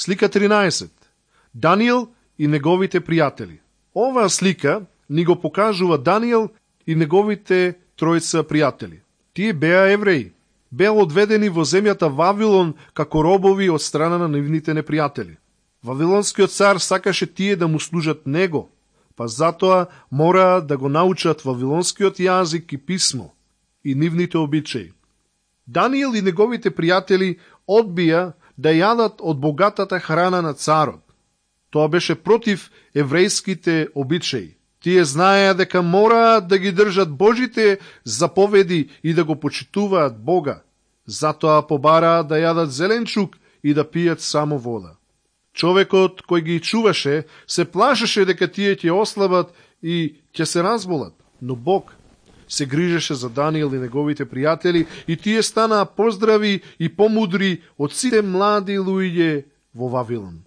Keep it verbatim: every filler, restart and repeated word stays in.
Слика тринаесет. Даниел и неговите пријатели. Оваа слика ни го покажува Даниел и неговите тројца пријатели. Тие беа евреи. Беа одведени во земјата Вавилон како робови од страна на нивните непријатели. Вавилонскиот цар сакаше тие да му служат него, па затоа мора да го научат вавилонскиот јазик и писмо и нивните обичаи. Даниел и неговите пријатели одбија да јадат од богатата храна на царот. Тоа беше против еврејските обичаи. Тие знаеа дека мораат да ги држат Божите заповеди и да го почитуваат Бога. Затоа побараат да јадат зеленчук и да пијат само вода. Човекот кој ги чуваше се плашеше дека тие ќе ослабат и ќе се разболат, но Бог се грижеше за Даниел и неговите пријатели и тие станаа поздрави и помудри од сите млади луѓе во Вавилон.